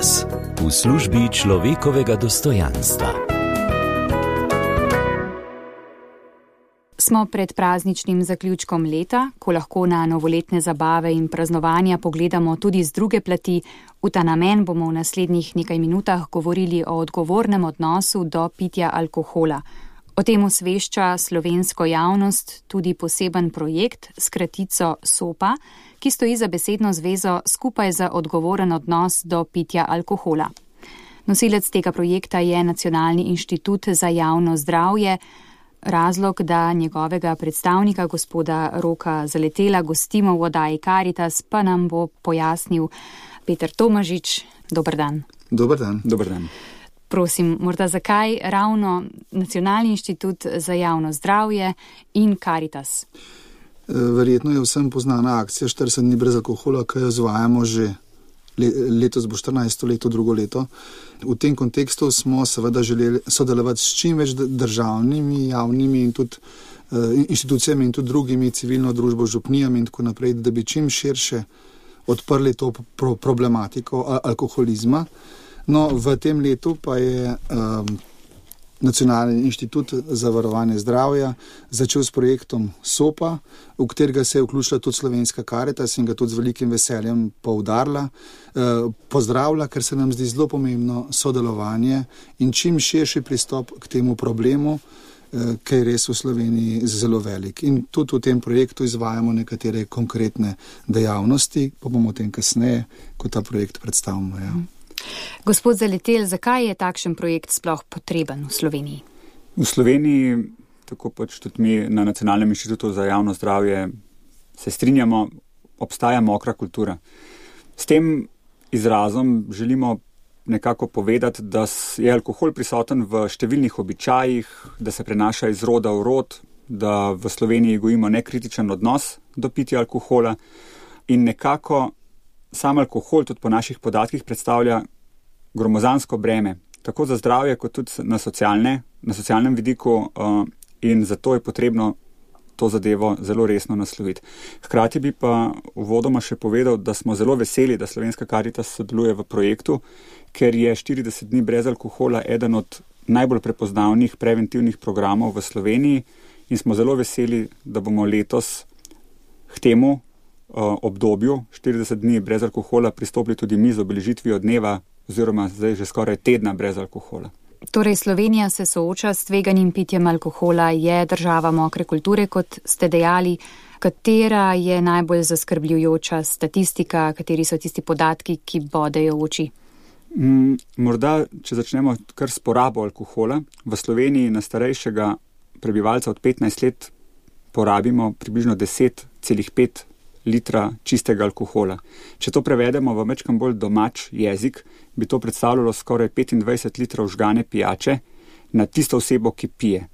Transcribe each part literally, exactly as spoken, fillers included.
Karitas v službi človekovega dostojanstva. Smo pred prazničnim zaključkom leta, ko lahko na novoletne zabave in praznovanja pogledamo tudi z druge plati. V ta namen bomo v naslednjih nekaj minutah govorili o odgovornem odnosu do pitja alkohola. O tem osvešča slovensko javnost tudi poseben projekt s kratico SOPA, ki stoji za besedno zvezo Skupaj za odgovoren odnos do pitja alkohola. Nosilec tega projekta je Nacionalni inštitut za javno zdravje. Razlog, da njegovega predstavnika, gospoda Roka Zaletela, gostimo v oddaji Karitas, pa nam bo pojasnil Peter Tomažič. Dober dan. Dober dan. Dober dan. Prosim, morda zakaj ravno Nacionalni inštitut za javno zdravje in Karitas? Verjetno je vsem poznana akcija štirideset dni brez alkohola, ki jo izvajamo že letos bo štirinajsto leto, drugo leto. V tem kontekstu smo seveda želeli sodelovati s čim več državnimi, javnimi in tudi inštitucijami in tudi drugimi, civilno družbo, župnijami in tako naprej, da bi čim širše odprli to problematiko alkoholizma. No, v tem letu pa je um, Nacionalni inštitut za varovanje zdravja začel s projektom SOPA, v katerega se je vključila tudi slovenska Karitas in ga tudi z velikim veseljem poudarila, eh, pozdravlja, ker se nam zdi zelo pomembno sodelovanje in čim širši pristop k temu problemu, eh, ki je res v Sloveniji zelo velik. In tudi v tem projektu izvajamo nekatere konkretne dejavnosti, pa bomo o tem kasneje, ko ta projekt predstavimo. Ja. Gospod Zaletel, zakaj je takšen projekt sploh potreben v Sloveniji? V Sloveniji, tako pač tudi mi na Nacionalnem inštitutu za javno zdravje se strinjamo, obstaja mokra kultura. S tem izrazom želimo nekako povedati, da je alkohol prisoten v številnih običajih, da se prenaša iz roda v rod, da v Sloveniji gojimo nekritičen odnos do pitja alkohola in nekako sam alkohol tudi po naših podatkih predstavlja gromozansko breme, tako za zdravje kot tudi na, socialne, na socialnem vidiku uh, in zato je potrebno to zadevo zelo resno nasloviti. Hkrati bi pa uvodoma še povedal, da smo zelo veseli, da Slovenska Karitas sodeluje v projektu, ker je štirideset dni brez alkohola eden od najbolj prepoznavnih preventivnih programov v Sloveniji in smo zelo veseli, da bomo letos k temu obdobju štirideset dni brez alkohola pristopili tudi mi z obeležitvijo dneva oziroma zdaj že skoraj tedna brez alkohola. Torej Slovenija se sooča s tveganim pitjem alkohola, je država mokre kulture, kot ste dejali. Katera je najbolj zaskrbljujoča statistika, kateri so tisti podatki, ki bodejo v oči? Mm, morda, če začnemo kar s porabo alkohola. V Sloveniji na starejšega prebivalca od petnajst let porabimo približno deset celih pet litra čistega alkohola. Če to prevedemo v mečkam bolj domač jezik, bi to predstavljalo skoraj petindvajset litrov žgane pijače na tisto osebo, ki pije.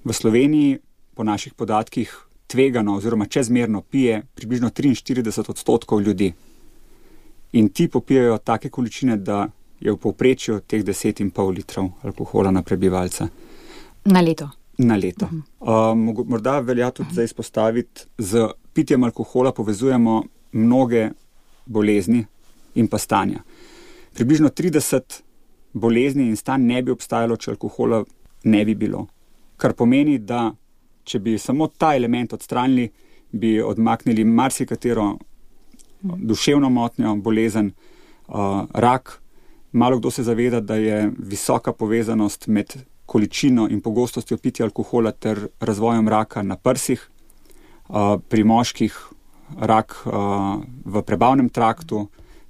V Sloveniji po naših podatkih tvegano oziroma čezmerno pije približno triinštirideset odstotkov ljudi. In ti popijajo take količine, da je v povprečju teh deset in pol litrov alkohola na prebivalca. Na leto. Na leto. Uh, morda velja tudi zdaj izpostaviti, z pitjem alkohola povezujemo mnoge bolezni in pa stanja. Približno trideset bolezni in stanj ne bi obstajalo, če alkohola ne bi bilo. Kar pomeni, da če bi samo ta element odstranili, bi odmaknili marsikatero duševno motnjo, bolezen, uh, rak. Malo kdo se zaveda, da je visoka povezanost med količino in pogostostjo pitja alkohola ter razvojem raka na prsih, uh, pri moških rak uh, v prebavnem traktu,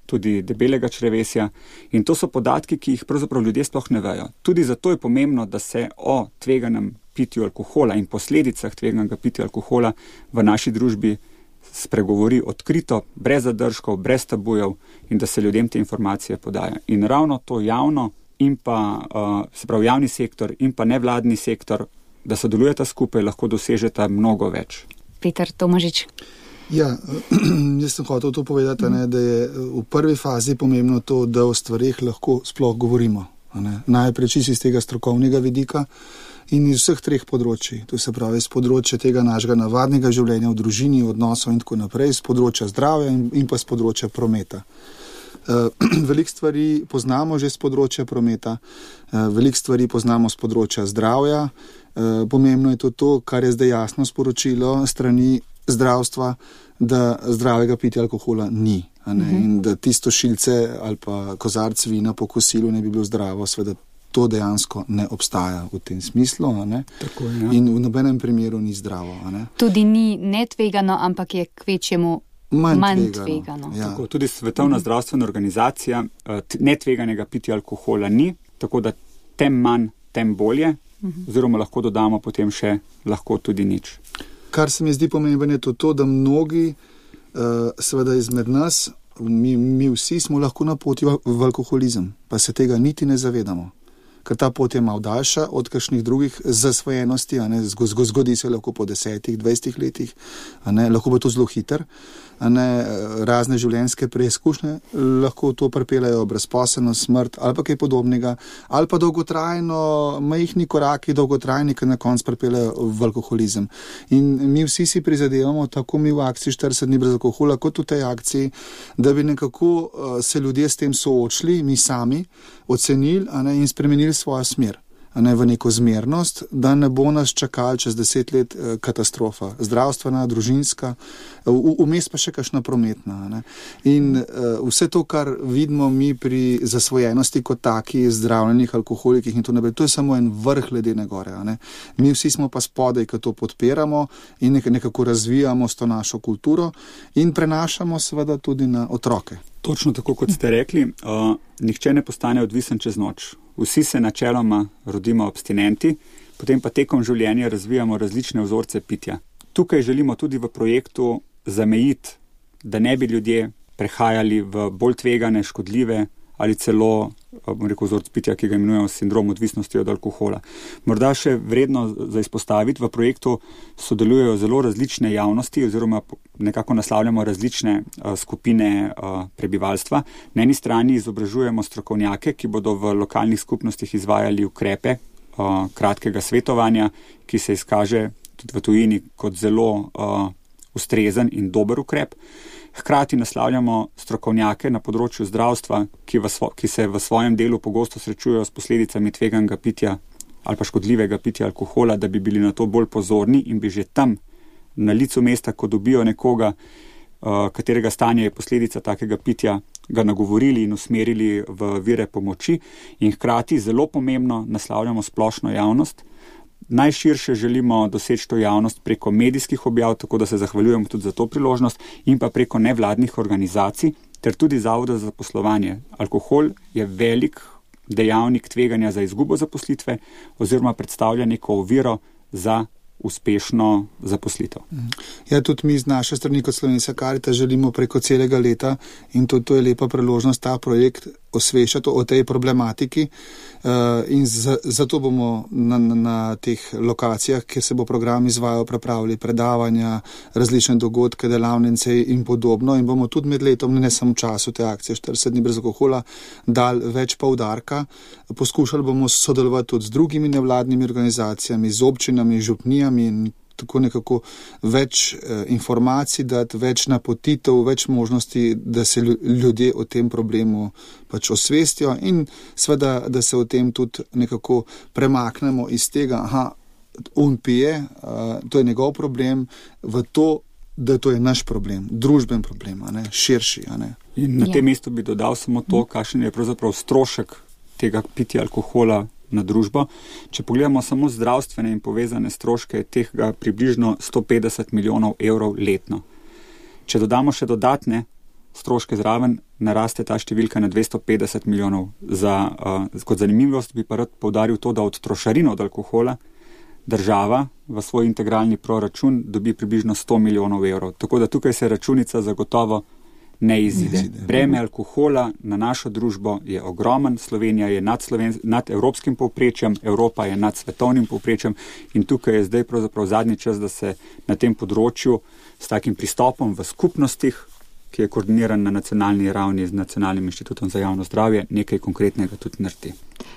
tudi debelega črevesja. In to so podatki, ki jih pravzaprav ljudje sploh ne vejo. Tudi zato je pomembno, da se o tveganem pitju alkohola in posledicah tveganega pitja alkohola v naši družbi spregovori odkrito, brez zadržkov, brez tabujev in da se ljudem te informacije podaja. In ravno to javno in pa uh, se pravi javni sektor in pa nevladni sektor, da sodelujeta skupaj, lahko dosežeta mnogo več. Peter Tomažič. Ja, jaz sem hotel to povedati, ne, da je v prvi fazi pomembno to, da o stvarih lahko sploh govorimo. Ne. Najprej čisto iz tega strokovnega vidika in iz vseh treh področji. To se pravi iz področja tega našega navadnega življenja v družini, odnosov in tako naprej, iz področja zdravja in, in pa iz področja prometa. Veliko stvari poznamo že z področja prometa, veliko stvari poznamo z področja zdravja. Pomembno je to, to kar je zdaj jasno sporočilo strani zdravstva, da zdravega pitja alkohola ni. A ne? Uh-huh. In da tisto šilce ali pa kozarc vina po kosilu ne bi bilo zdravo, seveda to dejansko ne obstaja v tem smislu. A ne? Tako, ja. In v nobenem primeru ni zdravo. A ne? Tudi ni netvegano, ampak je kvečjemu manj, manj tvegano. tvegano. Ja. Tako, tudi Svetovna uh-huh. zdravstvena organizacija netveganega pitja alkohola ni, tako da tem manj, tem bolje, uh-huh. oziroma lahko dodamo potem še lahko tudi nič. Kar se mi zdi pomembno je to, to da mnogi, uh, seveda izmed nas, mi, mi vsi smo lahko na poti v, v alkoholizem, pa se tega niti ne zavedamo. Ker ta pot je malo daljša od kakšnih drugih zasvojenosti, a ne, zgodi se lahko po desetih, dvajsetih letih, a ne, lahko bo to zelo hiter, a ne, razne življenjske preizkušnje lahko to pripeljejo brezposelnost, smrt ali pa kaj podobnega, ali pa dolgotrajno, majhni koraki, dolgotrajni, ki na koncu pripeljejo v alkoholizem. In mi vsi si prizadevamo, tako mi v akciji štirideset dni brez alkohola, kot v tej akciji, da bi nekako uh, se ljudje s tem soočili, mi sami, ocenili, a ne, in spremenili svojo smer, a ne, v neko zmernost, da ne bo nas čakali čez deset let eh, katastrofa, zdravstvena, družinska, vmes pa še kakšna prometna. A ne. In eh, vse to, kar vidimo mi pri zasvojenosti kot taki, zdravljenih alkoholikih in to naprej, to je samo en vrh ledene gore. A ne. Mi vsi smo pa spodaj, ki to podpiramo in nek- nekako razvijamo s to našo kulturo in prenašamo seveda tudi na otroke. Točno tako, kot ste rekli, uh, nihče ne postane odvisen čez noč. Vsi se načeloma rodimo abstinenti, potem pa tekom življenja razvijamo različne vzorce pitja. Tukaj želimo tudi v projektu zamejiti, da ne bi ljudje prehajali v bolj tvegane, škodljive ali celo, bom rekel, vzorc pitja, ki ga imenujemo sindrom odvisnosti od alkohola. Morda še vredno za izpostaviti, v projektu sodelujejo zelo različne javnosti oziroma nekako naslavljamo različne uh, skupine uh, prebivalstva. Na eni strani izobražujemo strokovnjake, ki bodo v lokalnih skupnostih izvajali ukrepe uh, kratkega svetovanja, ki se izkaže tudi v tujini kot zelo uh, ustrezen in dober ukrep. Hkrati naslavljamo strokovnjake na področju zdravstva, ki, v svo, ki se v svojem delu pogosto srečujejo s posledicami tveganega pitja ali pa škodljivega pitja alkohola, da bi bili na to bolj pozorni in bi že tam na licu mesta, ko dobijo nekoga, uh, katerega stanje je posledica takega pitja, ga nagovorili in usmerili v vire pomoči in hkrati zelo pomembno naslavljamo splošno javnost. Najširše želimo doseči to javnost preko medijskih objav, tako da se zahvaljujemo tudi za to priložnost in pa preko nevladnih organizacij ter tudi Zavoda za zaposlovanje. Alkohol je velik dejavnik tveganja za izgubo zaposlitve oziroma predstavlja neko oviro za uspešno zaposlitev. Ja, tudi mi z naše strani kot Slovenska Karitas želimo preko celega leta in to, to je lepa priložnost ta projekt osveščati o tej problematiki uh, in za, zato bomo na, na, na teh lokacijah, kjer se bo program izvajal, pripravili predavanja, različne dogodke, delavnice in podobno in bomo tudi med letom, ne samo v času te akcije štirideset dni brez alkohola, dali več poudarka. Poskušali bomo sodelovati tudi z drugimi nevladnimi organizacijami, z občinami, župnijami in tako nekako več eh, informacij dati, več napotitev, več možnosti, da se ljudje o tem problemu pač osvestijo in seveda, da se o tem tudi nekako premaknemo iz tega, aha, on pije, uh, to je njegov problem, v to, da to je naš problem, družben problem, a ne, širši. A ne. In na ja. tem mestu bi dodal samo to, kakšen je pravzaprav strošek tega pitja alkohola na družbo. Če pogledamo samo zdravstvene in povezane stroške, tega približno sto petdeset milijonov evrov letno. Če dodamo še dodatne stroške zraven, naraste ta številka na dvesto petdeset milijonov. Za, uh, kot zanimivost bi pa rad poudaril to, da od trošarin od alkohola država v svoj integralni proračun dobi približno sto milijonov evrov. Tako da tukaj se računica zagotovo ne izide. Breme alkohola na našo družbo je ogromen, Slovenija je nad, Sloven, nad evropskim povprečjem, Evropa je nad svetovnim povprečjem in tukaj je zdaj pravzaprav zadnji čas, da se na tem področju s takim pristopom v skupnostih, ki je koordiniran na nacionalni ravni z Nacionalnim inštitutom za javno zdravje, nekaj konkretnega tudi naredi.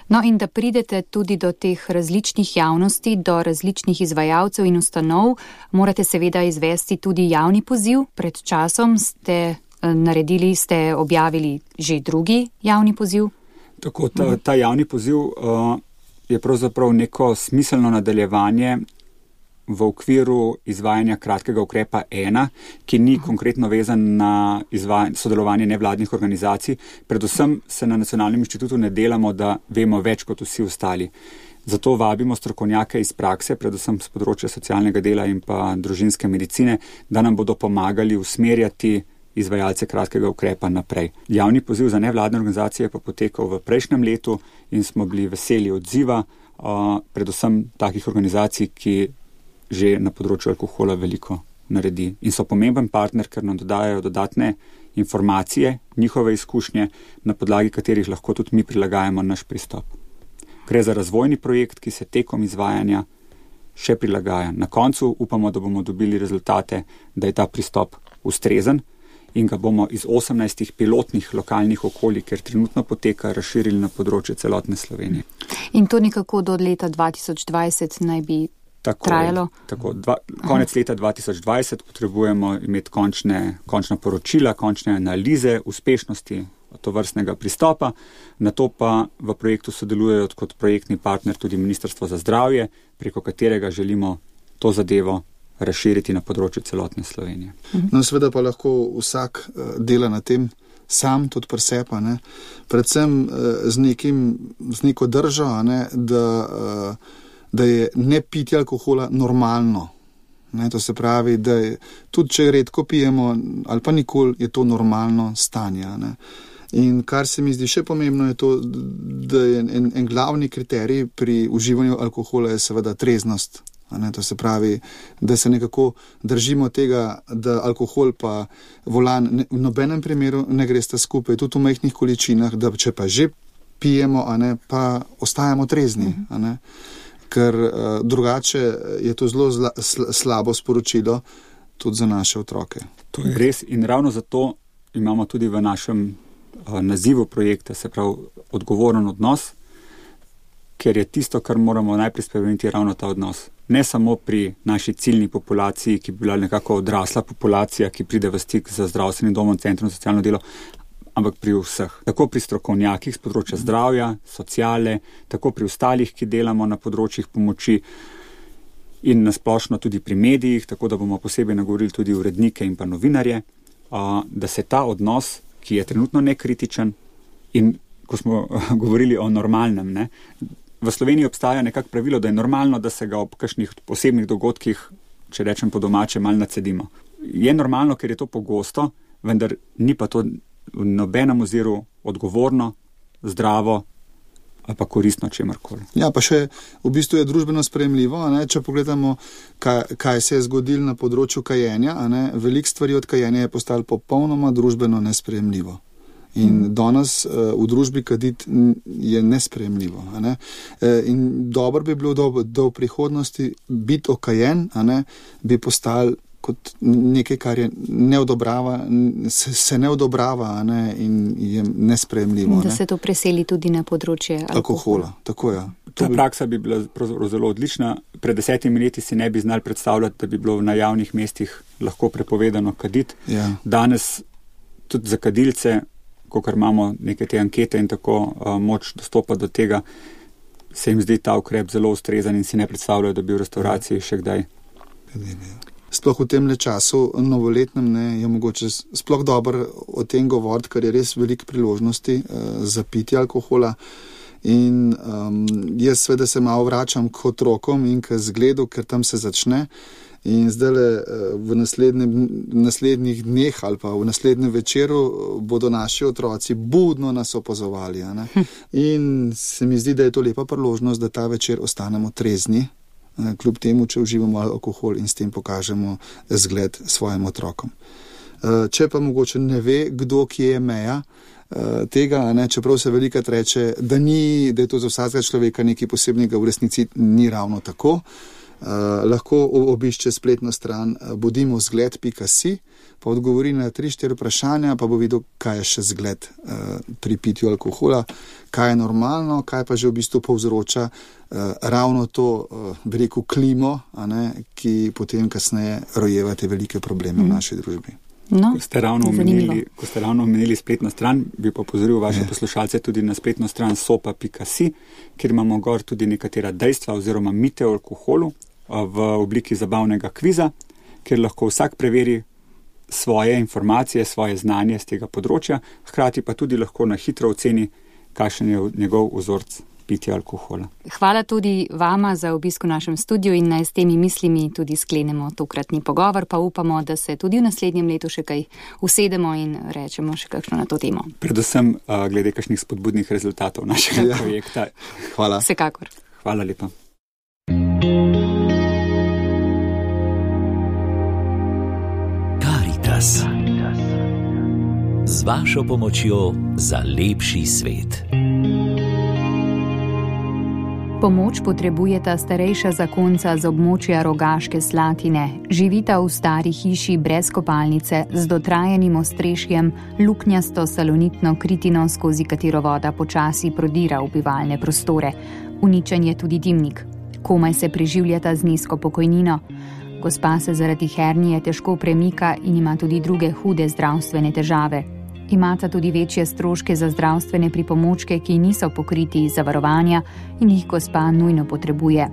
No in da pridete tudi do teh različnih javnosti, do različnih izvajalcev in ustanov, morate seveda izvesti tudi javni poziv. Pred časom ste naredili, ste objavili že drugi javni poziv? Tako, ta, ta javni poziv uh, je pravzaprav neko smiselno nadaljevanje v okviru izvajanja kratkega ukrepa ena, ki ni konkretno vezan na sodelovanje nevladnih organizacij. Predvsem se na Nacionalnem inštitutu ne delamo, da vemo več kot vsi ostali. Zato vabimo strokovnjake iz prakse, predvsem z področja socialnega dela in pa družinske medicine, da nam bodo pomagali usmerjati izvajalce kratkega ukrepa naprej. Javni poziv za nevladne organizacije je pa potekal v prejšnjem letu in smo bili veseli odziva, uh, predvsem takih organizacij, ki že na področju alkohola veliko naredi in so pomemben partner, ker nam dodajajo dodatne informacije, njihove izkušnje, na podlagi katerih lahko tudi mi prilagajamo naš pristop. Gre za razvojni projekt, ki se tekom izvajanja še prilagaja. Na koncu upamo, da bomo dobili rezultate, da je ta pristop ustrezen in ga bomo iz osemnajstih pilotnih lokalnih okolij, ker trenutno poteka, razširili na področje celotne Slovenije. In to nekako do leta dva tisoč dvajset naj bi tako, trajalo? Tako, dva, konec leta dva tisoč dvajset potrebujemo imeti končne, končna poročila, končne analize uspešnosti tovrstnega pristopa, na to pa v projektu sodelujejo kot projektni partner tudi Ministrstvo za zdravje, preko katerega želimo to zadevo razširiti na področju celotne Slovenije. No, seveda pa lahko vsak dela na tem sam, tudi pri sebi, ne, predvsem z, nekim, z neko držo, ne, da, da je ne pitje alkohola normalno. Ne, to se pravi, da je, tudi če redko pijemo ali pa nikoli, je to normalno stanje. Ne. In kar se mi zdi še pomembno je to, da je en, en glavni kriterij pri uživanju alkohola je seveda treznost. Ne, to se pravi, da se nekako držimo tega, da alkohol pa volan ne, v nobenem primeru ne gre sta skupaj, tudi v majhnih količinah, da če pa že pijemo, a ne, pa ostajamo trezni. A ne, ker uh, drugače je to zelo zla, sl, slabo sporočilo tudi za naše otroke. To je res in ravno zato imamo tudi v našem uh, nazivu projekta, se pravi odgovoren odnos, ker je tisto, kar moramo najprej spremeniti, ravno ta odnos. Ne samo pri naši ciljni populaciji, ki bi bila nekako odrasla populacija, ki pride v stik z zdravstvenim domom, centrom za socialno delo, ampak pri vseh. Tako pri strokovnjakih z področja zdravja, sociale, tako pri ostalih, ki delamo na področjih pomoči in nasplošno tudi pri medijih, tako da bomo posebej nagovorili tudi urednike in pa novinarje, da se ta odnos, ki je trenutno nekritičen in ko smo govorili o normalnem, ne, v Sloveniji obstaja nekako pravilo, da je normalno, da se ga ob kakšnih posebnih dogodkih, če rečem po domače, malo nacedimo. Je normalno, ker je to pogosto, vendar ni pa to v nobenem oziru odgovorno, zdravo ali pa koristno čemarkoli. Ja, pa še v bistvu je družbeno sprejemljivo, ne? Če pogledamo, kaj, kaj se je zgodilo na področju kajenja, veliko stvari od kajenja je postalo popolnoma družbeno nesprejemljivo. In danes uh, v družbi kaditi je nesprejemljivo. A ne? E, in dobro bi bilo, da, da v prihodnosti biti okajen, a ne, bi postal kot nekaj, kar je ne odobrava, se, se ne odobrava, a ne, in je nesprejemljivo. Da ne? Se to preseli tudi na področje alkohola. alkohola. Tako je. Ta bi... praksa bi bila zelo odlična. Pred desetimi leti si ne bi znali predstavljati, da bi bilo na javnih mestih lahko prepovedano kaditi. Ja. Danes tudi za kadilce, kakor imamo neke te ankete in tako uh, moč dostopa do tega, se jim zdi ta ukrep zelo ustrezen in si ne predstavljajo, da bi v restauraciji še kdaj. Sploh v tem času novoletnem ne, je mogoče sploh dobro o tem govoriti, ker je res veliko priložnosti uh, za pitje alkohola. In um, jaz seveda se malo vračam k otrokom in k zgledu, ker tam se začne. In zdaj v naslednjih dneh ali pa v naslednjem večeru bodo naši otroci budno nas opazovali. A ne? In se mi zdi, da je to lepa priložnost, da ta večer ostanemo trezni, kljub temu, če uživamo alkohol in s tem pokažemo zgled svojim otrokom. Če pa mogoče ne ve, kdo kje je meja tega, ne? Čeprav se velikokrat reče, da, ni, da je to za vsakega človeka nekaj posebnega, v resnici ni ravno tako. Uh, lahko obišče spletno stran uh, bodimo zgled pika si, pa odgovori na tri štiri vprašanja, pa bo videl, kaj je še zgled uh, pri pitju alkohola, kaj je normalno, kaj pa že v bistvu povzroča uh, ravno to, uh, bi rekel, klimo, a ne, ki potem kasneje rojeva te velike probleme mm. v naši družbi. No, ko, ste ravno omenili, ko ste ravno omenili spletno stran, bi pa opozoril vaše poslušalce tudi na spletno stran sopa pika si, kjer imamo gor tudi nekatera dejstva oziroma mite o alkoholu v obliki zabavnega kviza, kjer lahko vsak preveri svoje informacije, svoje znanje z tega področja, hkrati pa tudi lahko na hitro oceni, kakšen je njegov vzorc pitja alkohola. Hvala tudi vama za obisk v našem studiu in naj s temi mislimi tudi sklenemo tokratni pogovor, pa upamo, da se tudi v naslednjem letu še kaj usedemo in rečemo še kakšno na to temo. Predvsem uh, glede kakšnih spodbudnih rezultatov našega ja. projekta. Hvala. Vsekakor. Hvala lepa. Karitas. Z vašo pomočjo za lepši svet. Pomoč potrebujeta starejša zakonca z območja Rogaške Slatine. Živita v stari hiši brez kopalnice, z dotrajenim ostrešjem, luknjasto salonitno kritino, skozi katero voda počasi prodira v bivalne prostore. Uničen je tudi dimnik. Komaj se preživljata z nizko pokojnino. Gospa se zaradi hernije težko premika in ima tudi druge hude zdravstvene težave. Imata tudi večje stroške za zdravstvene pripomočke, ki niso pokriti iz zavarovanja in jih gospa nujno potrebuje.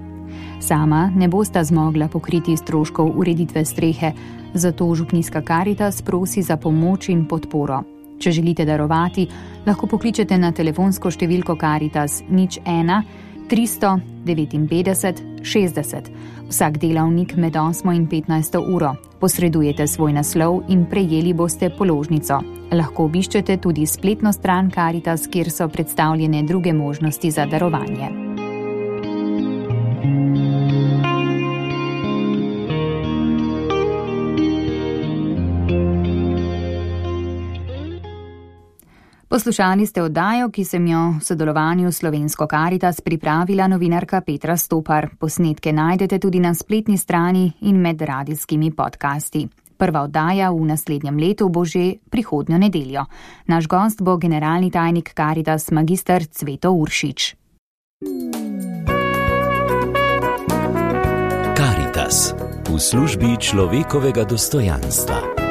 Sama ne bosta zmogla pokriti stroškov ureditve strehe, zato Župnijska Karitas prosi za pomoč in podporo. Če želite darovati, lahko pokličete na telefonsko številko Karitas nič ena tristo devetinpetdeset šestdeset. Vsak delavnik med osmo in petnajsto uro. Posredujete svoj naslov in prejeli boste položnico. Lahko obiščete tudi spletno stran Karitas, kjer so predstavljene druge možnosti za darovanje. Poslušali ste oddajo, ki sem jo v sodelovanju s Slovensko Karitas pripravila novinarka Petra Stopar. Posnetke najdete tudi na spletni strani in med radijskimi podcasti. Prva oddaja v naslednjem letu bo že prihodnjo nedeljo. Naš gost bo generalni tajnik Karitas magister Cveto Uršič. Karitas v službi človekovega dostojanstva.